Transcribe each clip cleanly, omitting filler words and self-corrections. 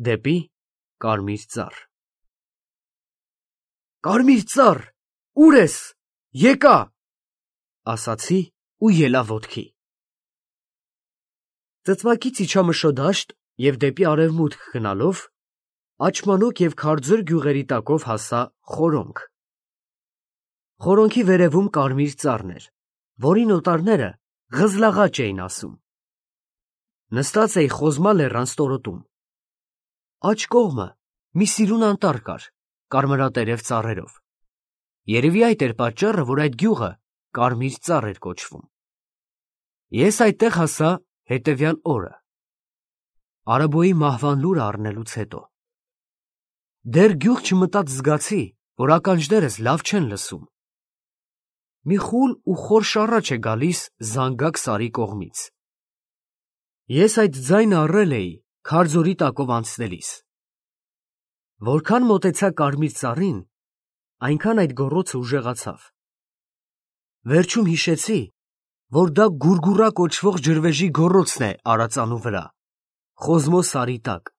դեպի Կարմիր ծառ։ Կարմիր ծառ, ուր ես, եկա, ասացի ու ելա ոտքի։ Ծծմակից իջա մշոդաշտ և դեպի արևմուտք գնալով, աչմանոկ և քարձր գյուղերի տակով հասա խորոնք։ Խորոնքի վերևում կարմիր ծառն էր, որին օտարները ղզլաղաճ էին ասում։ Նստած էի Խոզմա լեռան ստորոտում։ Աջ կողմը մի սիրուն անտառ կար, կարմրատերև ծառերով։ Երևի այդ էր պատճառը, որ այդ գյուղը Կարմիր ծառ էր կոչվում։ Ես այդտեղ հասա հետևյալ օրը, Արաբոյի մահվան լուրը առնելուց հետո։ Դեռ գյուղ չմտած զգացի, որ ականջներս լավ չեն լսում։ Մի խուլ ու խոր շառաչ է գալիս Զանգակ սարի կողմից։ Ես այդ ձայնը առել էի քարձորի տակով անցնելիս։ Որքան մոտեցա Կարմիր ծառին, այնքան այդ գոռոցը ուժեղացավ։ Վերջում հիշեցի, որ դա գուրգուռա կոչվող ջրվեժի գոռոցն է արածանու վրա, Խոզմո սարի տակ,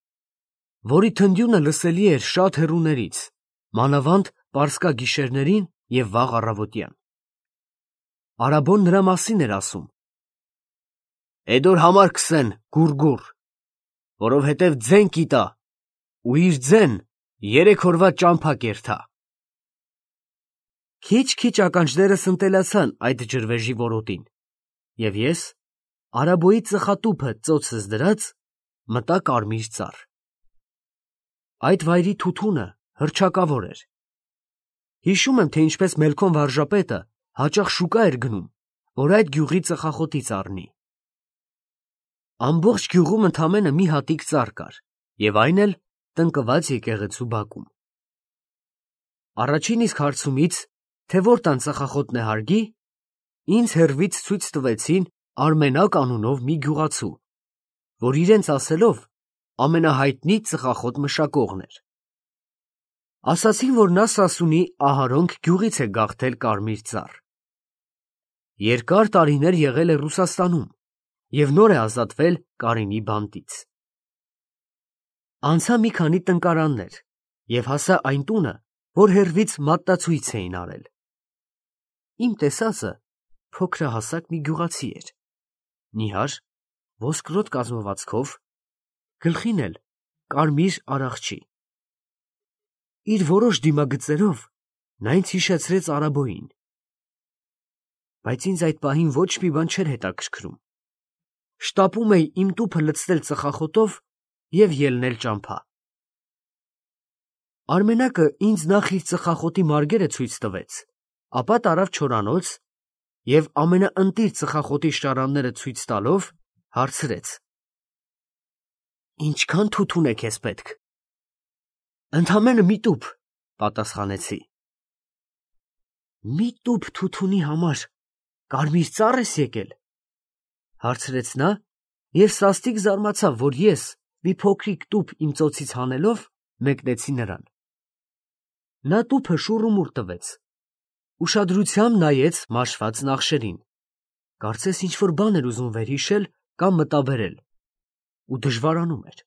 որի թնդյունը լսելի էր շատ հեռուներից, մանավանդ պարսկա գիշերներին և վաղ առավոտյան։ Արաբոն նրա մասին էր ասում. «Էդոր համար կսեն գուրգուռ, որովհետև ձեն կիտա ու իր ձեն 3 օրվա ճամփա կերթա»։ Քիչ-քիչ ականջներս ընտելացան այդ ջրվեժի որոտին, և ես, Արաբոյի ծխատուփը ծոցս դրած, մտա Կարմիր ծառ։ Այդ վայրի թութունը հռչակավոր էր։ Հիշում եմ, թե ինչպես Մելքոն վարժապետը հաճախ շուկա էր գնում, որ այդ գյուղի ծխախոտից առնի։ Ամբողջ գյուղում ընդամենը մի հատիկ ծառ կար, և այն էլ տնկված եկեղեցու բակում։ Առաջին իսկ հարցումից, թե որ տան ծխախոտն է հարգի, ինձ հեռվից ցույց տվեցին Արմենակ անունով մի գյուղացու, որ իրենց ասելով ամենահայտնի ծխախոտ մշակողն էր։ Ասացին, որ նա Սասունի Ահարոնք գյուղից է գաղթել Կարմիր ծառ։ Երկար տարիներ եղել է Ռուսաստանում և նոր է ազատվել Կարինի բանտից։ Անցա մի քանի տնկարաններ և հասա այն տունը, որ հեռվից մատնացույց էին արել։ Իմ տեսածը փոքրահասակ մի գյուղացի էր, նիհար, ոսկրոտ կազմվածքով, գլխին էլ կարմիր արախչի։ Իր որոշ դիմագծերով նա ինձ հիշեցրեց Արաբոյին։ Բայց ինձ այդ պահին ոչ մի բան չէր հետաքրքրում։ Շտապում էի իմ տուփը լցնել ծխախոտով և ելնել ճամփա։ Արմենակը ինձ նախ իր ծխախոտի մարգերը ցույց տվեց, ապա տարավ չորանոց և ամենաընտիր ծխախոտի շարանները ցույց տալով հարցրեց. «Ինչքան թութուն է քեզ պետք»։ «Ընդամենը մի տուփ», պատասխանեցի։ «Մի տուփ թութունի համար Կարմիր ծառ ես եկել», հարցրեց նա և սաստիկ զարմացավ, որ ես, մի փոքրիկ տուփ իմ ծոցից հանելով, մեկնեցի նրան։ Նա տուփը շուռումուռ տվեց, ուշադրությամբ նայեց մաշված նախշերին, կարծես ինչ-որ բան էր ուզում վերհիշել կամ մտաբերել ու դժվարանում էր։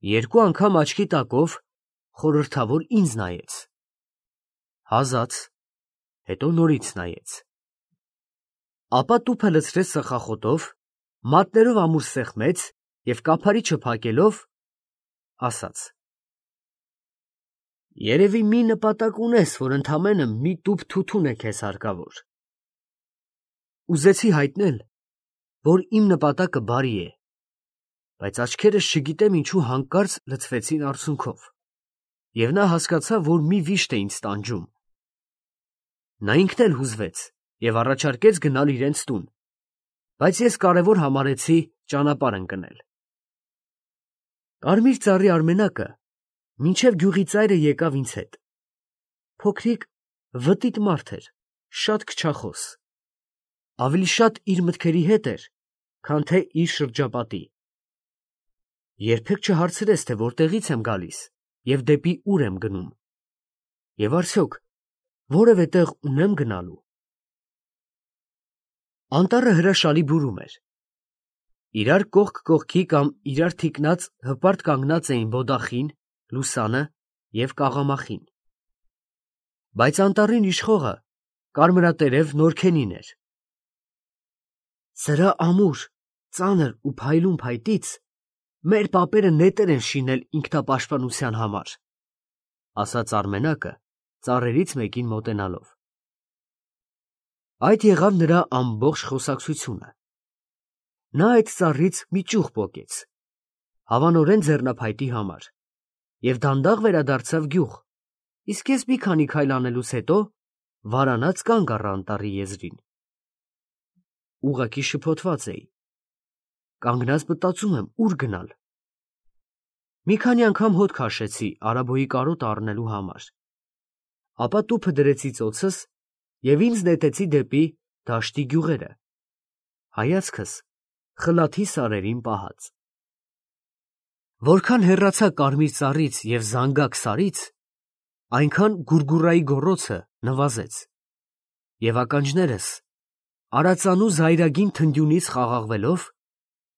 Երկու անգամ աչքի տակով խորհրդավոր ինձ նայեց, հազաց, հետո նորից նայեց։ Ապա տուփը լցրեց ծխախոտով, մատներով ամուր սեղմեց և կափարիչը փակելով ասաց. «Երևի մի նպատակ ունես, որ ընդամենը մի տուփ թութուն է քեզ հարկավոր»։ Ուզեցի հայտնել, որ իմ նպատակը բարի է, բայց աչքերս չգիտեմ ինչու հանկարծ լցվեցին արցունքով, և նա հասկացավ, որ մի վիշտ է ինձ տանջում։ Նա ինքն էլ հուզվեց և առաջարկեց գնալ իրենց տուն, բայց ես կարևոր համարեցի ճանապարհ ընկնել։ Կարմիր ծառի Արմենակը մինչև գյուղի ծայրը եկավ ինձ հետ։ Փոքրիկ վտիտ մարդ էր, շատ քչախոս, ավելի շատ իր մտքերի հետ էր, քան թե իր շրջապատի։ Երբեք չհարցրեց, թե որտեղից եմ գալիս և դեպի ուր եմ գնում, և արդյոք որևէ տեղ ունեմ գնալու։ Անտառը հրաշալի բուրում էր։ Իրար կողք կողքի կամ իրար թիկնած հպարտ կանգնած էին բոդախին, լուսանը և կաղամախին։ Բայց անտառին իշխողը կարմրատերև Նորքենին էր։ Սրա ամուր, ծանր ու փայլուն փայտից մեր պապերը նետեր են շինել ինքնապաշտպանության համար, ասաց Արմենակը ծառերից մեկին մոտենալով։ Այդ եղավ նրա ամբողջ խոսակցությունը։ Նա այդ ծառից մի ճյուղ պոկեց, հավանորեն ձեռնափայտի համար, և դանդաղ վերադարձավ գյուղ, իսկ ես մի քանի քայլ անելուց հետո վարանած կանգ առա անտառի եզրին։ Ուղղակի շփոթված էի։ Կանգնած մտածում եմ ուր գնալ։ Մի քանի անգամ հոտ քաշեցի Արաբոյի կարոտը առնելու համար, ապա տուփը դրեցի ծոցս և ինձ նետեցի դեպի դաշտի գյուղերը, հայացքս խլաթի սարերին պահած։ Որքան հեռացա կարմիր ծառից և զանգակ սարից, այնքան գուրգուրայի գոռոցը նվազեց, և ականջներս արածանու զայրագին թնդյունից խաղաղվելով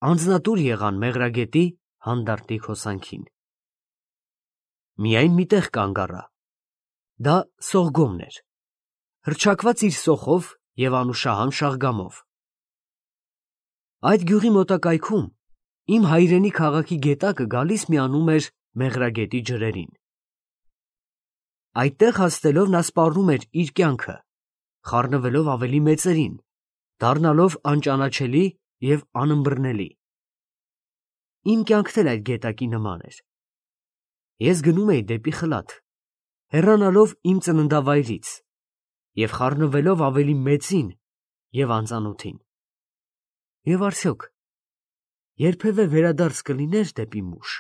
անձնատուր եղան մեղրագետի հանդարտիկ հոսանքին։ Միայն մի տեղ կանգ առա։ Դա Սողգոմն էր, հռչակված իր սոխով և անուշահամ շաղգամով։ Այդ գյուղի մոտակայքում իմ հայրենի քաղաքի գետակը գալիս միանում էր մեղրագետի ջրերին։ Այդտեղ հասնելով նա սպառնում էր իր կյանքը, խառնվելով ավելի մեծերին, դառնալով անճանաչելի և անըմբռնելի։ Իմ կյանքն էլ այդ գետակի նման էր։ Ես գնում էի դեպի խլաթ, հեռանալով իմ ծննդավայրից և խառնվելով ավելի մեծին և անծանոթին։ Եվ արդյոք երբևէ վերադարձ կլիներ դեպի մուշ։